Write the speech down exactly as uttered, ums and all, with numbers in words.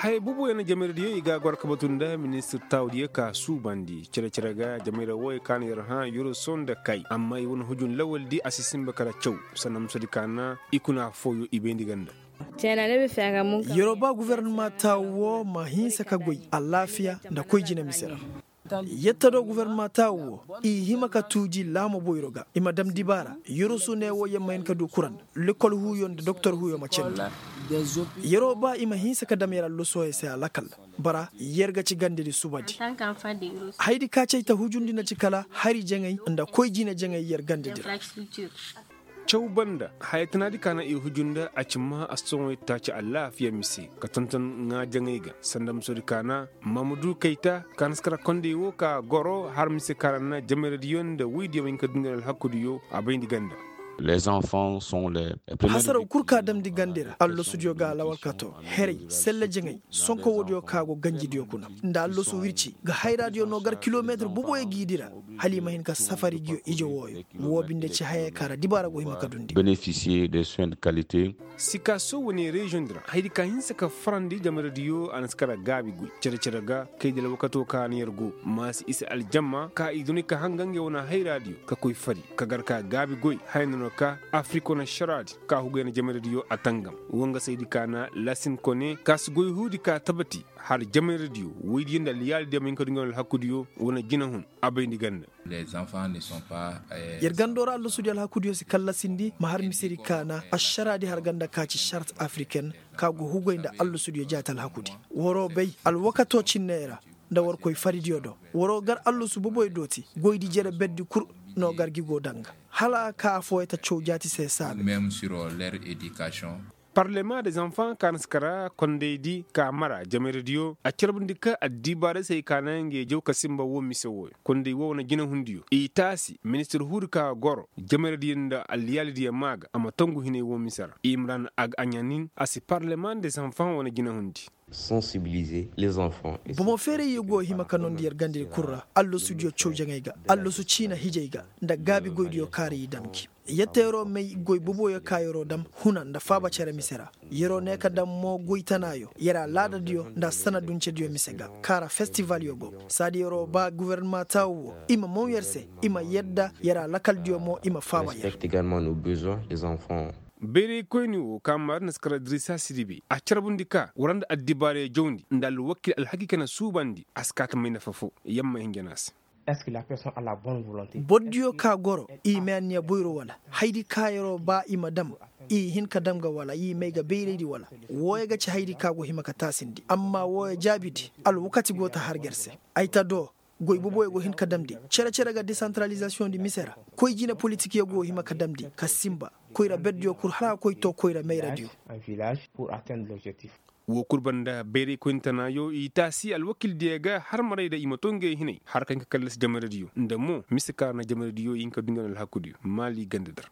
Haya bubuyaŋ na jamayra diyo i ga a goro ka batu nda ministir taawu diyo ka suubandi cere-cere ga jamayra wooyo ka na yer hã yoroso nda kay amma i wane hujun lawal di a si sinba kala caw. Sanda musadi ka na i kuna fooyo i bayndi ganda. Yeroo ba gofornama taawu woo ma hinsa ka goy alaafiya nda koy jina mise ra. Yetta do gofornama taawu woo i hima ka tuuji laamo boyro ga i ma dam dibaara. Yoroso ne woo yer ma hin ka du kuran. Lekol huuyo nda doktor huuyo ma candi. Yeroo ba i ma hinsa ka dam yer allosohey se alakal. Bara yer ga ci gandedi subadi. Hayadi ka cay ta hujundi na ci kala hari jaŋay nda koy jine jaŋay yer gandedi ra. Caw banda haya tanaadi ka na i huju nda a ci maa astoŋoy taaci alaafiya mise ka tonton ŋaa jaŋay ga sanda musodi ka na. Mamudu kayta ka na si kara kondey woo ka goro har mise ka ra na jameradiyo nda woydiyo ma hin ka dungana alhakudiyo a bayndi ganda. Hasaraw kul ka damndi gandi ra allasudiyo ga alawalkato heray selle jaŋay. Sonko woodiyo ka go ganjidiyo kuna nda allasu wirci ga hayraadiyo no gar kilometir boboyo g'i di ra. Hala i ma hin ka safari ngiyo ije wooyo. Woo binde ci hayey ka ra dibaara go hima ka dundi. Sikaaso wane reziyoŋ di ra hayadi ka hinsa ka farandi jamaradiyo a na si kara gaabi goy cere-cere ga kay da alwakato ka na yer go maasi isa aljamma ka i duni ka hanga ngey wane hayraadiyo ka koy fari ka gar ka gaabi goy haya na no ka afirik wane ašaraadi ka hugay na jamaradiyo a tangam. Wangasaydi ka na lasin kone ka si goy huudi ka tabati har jamaradiyo woydiyo nda alyaalidiyo ma hin ka du ngey wane alhakudiyo wane jinahun a bayndi ganda. Yer gandoo ra allasudiyo alhakudiyo si kallasindi ma har misedi kaana ašaraadi har ganda ka ci šart afiriken ka go hugay nda allasudiyo jaati alhakudi. Waroo bay alwakatoo cinney ra nda war koy faridiyo do waroo gar allasu boboy dooti goydi jere berdi kul no gar gi go daŋ ga hala a ka affooyey ta caw jaati se saabe. Parlema de zanfan ka na si kara kondaydi ka mara jameradiyo a carbundi ka addibaarey se ay ka naŋ ngey jaw ka sinba woo mise wooyo konday woo wane jinahundiyo i taasi ministir huudi ka goro jameradiyo nda alyaalidiyo maa ga a ma tongu hinay woo mise ra i ma ra na a ga aɲanin a si parlema de zanfan wane jinahundi. Bomo feerayyo go hima ka nondi yer gandedi kul ra allasudiyo cawjaŋey ga allasu ciina hijey ga nda gaabi goydiyo kaŋ ra i dam gi. Yette yeroo may goy boboyo ka yeroo dam huna nda faaba cere mise ra. Yeroo ne ka dam mo goy tanaayo yer alaadadiyo nda sanaduncediyo mise ga kaŋ ra festivalyo go. Saadi yeroo ba gofornama taawu wo i ma maw yer se i ma yadda yer alakaldiyo mo i ma faaba yer. Bayraykoyni wo kaŋ maari na si kar adiriisa sidibe a carbundi ka war nda addibaarey jawndi nda alwakil alhakiika na suubandi a si kaa ta may nafa foo. Yamma hinja no a se. Bordiyo ka goro i may anniya boyro wala haydi ka yeroo ba i ma dam i hin ka dam ga wala i may ga bayraydi wala? Wooyo ga ci haydi ka go hima ka taasindi amma wooyo jaabidi alwakati go ta har ga yer se. Ay ta do goy boboyo go hin ka damndi cere-cere ga desantaralizasiyoŋ di mise ra. Koy jine politikyo go hima ka damndi ka sinba koyra berdiyo kul hala a koy too koyra mayradiyo. Woo kul banda bayraykoyni tanaayo i taasi alwakildiyo ga har maray da i ma too ngey hinay har ka hin ka kallasi jamaradiyo nda mo mise ka ra na jamaradiyo i hin ka du ngey wane alhakudiyo maali ganda dar.